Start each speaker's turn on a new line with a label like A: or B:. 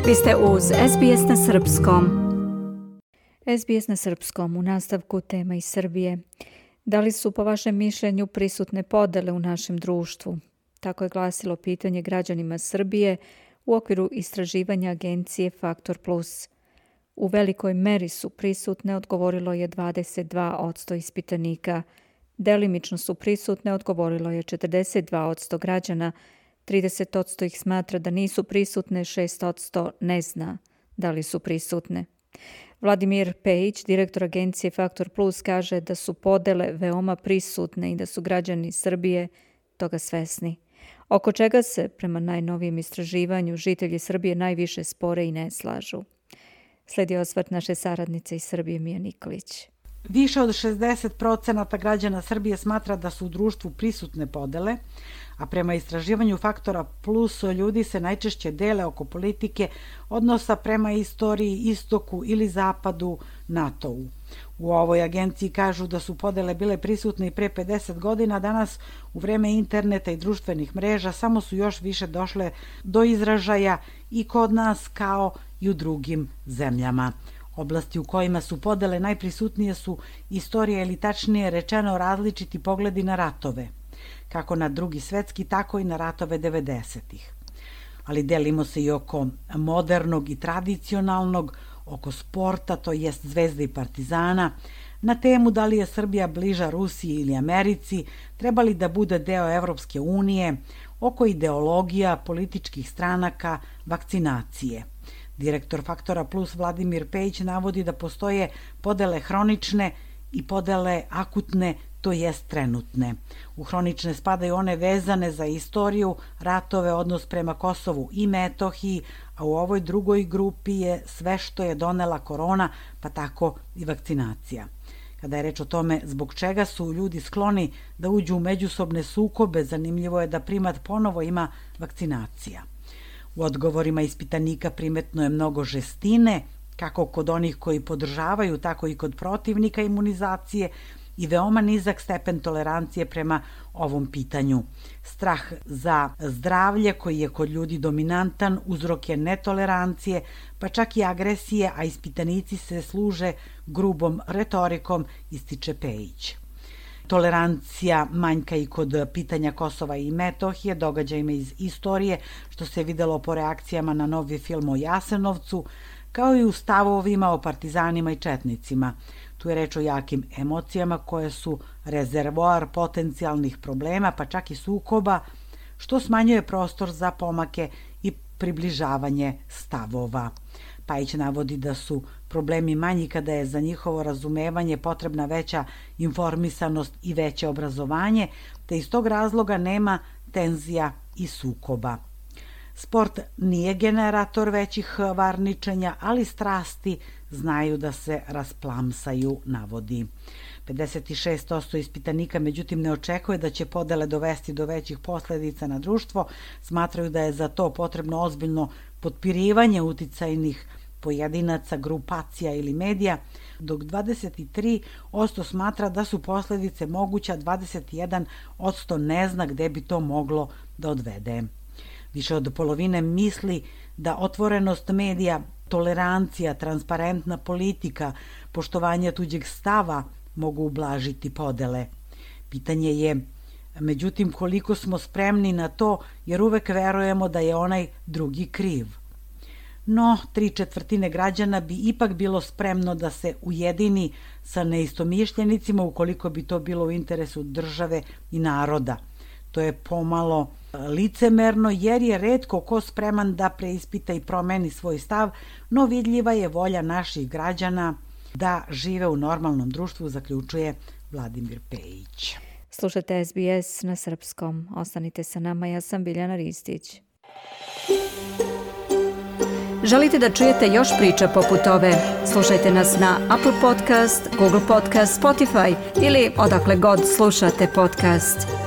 A: Vi ste uz SBS na Srpskom. SBS na Srpskom, u nastavku tema iz Srbije. Da li su po vašem mišljenju prisutne podele u našem društvu? Tako je glasilo pitanje građanima Srbije u okviru istraživanja agencije Faktor Plus. U velikoj meri su prisutne, odgovorilo je 22% ispitanika. Delimično su prisutne, odgovorilo je 42% građana. 30% ih smatra da nisu prisutne, 6% ne zna da li su prisutne. Vladimir Pejić, direktor agencije Faktor Plus, kaže da su podele veoma prisutne i da su građani Srbije toga svesni. Oko čega se, prema najnovijem istraživanju, žitelji Srbije najviše spore i ne slažu. Slijedi osvrt naše saradnice iz Srbije, Mija Nikolić.
B: Više od 60% građana Srbije smatra da su u društvu prisutne podele, a prema istraživanju Faktora Plus ljudi se najčešće dele oko politike, odnosa prema istoriji, istoku ili zapadu, NATO-u. U ovoj agenciji kažu da su podele bile prisutne i pre 50 godina, danas u vreme interneta i društvenih mreža samo su još više došle do izražaja i kod nas kao i u drugim zemljama. Oblasti u kojima su podele najprisutnije su istorija ili tačnije rečeno različiti pogledi na ratove, kako na Drugi svetski, tako i na ratove 90-ih. Ali delimo se i oko modernog i tradicionalnog, oko sporta, to jest Zvezde i Partizana, na temu da li je Srbija bliža Rusiji ili Americi, treba li da bude deo Evropske unije, oko ideologija, političkih stranaka, vakcinacije. Direktor Faktora Plus Vladimir Pejić navodi da postoje podele hronične i podele akutne, to jest trenutne. U hronične spadaju one vezane za istoriju, ratove, odnos prema Kosovu i Metohiji, a u ovoj drugoj grupi je sve što je donela korona, pa tako i vakcinacija. Kada je reč o tome zbog čega su ljudi skloni da uđu u međusobne sukobe, zanimljivo je da primat ponovo ima vakcinacija. U odgovorima ispitanika primetno je mnogo žestine, kako kod onih koji podržavaju, tako i kod protivnika imunizacije, i veoma nizak stepen tolerancije prema ovom pitanju. Strah za zdravlje koji je kod ljudi dominantan uzrok je netolerancije, pa čak i agresije, a ispitanici se služe grubom retorikom, ističe Pejić. Tolerancija manjka i kod pitanja Kosova i Metohije, događajima iz istorije, što se videlo po reakcijama na novi film o Jasenovcu, kao i u stavovima o partizanima i četnicima. Tu je reč o jakim emocijama koje su rezervoar potencijalnih problema, pa čak i sukoba, što smanjuje prostor za pomake i približavanje stavova. Pajić navodi da su problemi manji kada je za njihovo razumevanje potrebna veća informisanost i veće obrazovanje, te iz tog razloga nema tenzija i sukoba. Sport nije generator većih varničenja, ali strasti znaju da se rasplamsaju, navodi. 56% ispitanika međutim ne očekuje da će podele dovesti do većih posledica na društvo, smatraju da je za to potrebno ozbiljno potpirivanje uticajnih grupacija ili medija, dok 23% smatra da su posledice moguće, a 21% ne zna gde bi to moglo da odvede. Više od polovine misli da otvorenost medija, tolerancija, transparentna politika, poštovanje tuđeg stava mogu ublažiti podele. Pitanje je, međutim, koliko smo spremni na to, jer uvek verujemo da je onaj drugi kriv. No, 3/4 građana bi ipak bilo spremno da se ujedini sa neistomišljenicima ukoliko bi to bilo u interesu države i naroda. To je pomalo licemerno jer je retko ko spreman da preispita i promeni svoj stav, no vidljiva je volja naših građana da žive u normalnom društvu, zaključuje Vladimir Pejić.
A: Slušajte SBS na Srpskom. Ostanite sa nama, ja sam Biljana Ristić. Želite da čujete još priča poput ove? Slušajte nas na Apple Podcast, Google Podcast, Spotify ili odakle god slušate podcast.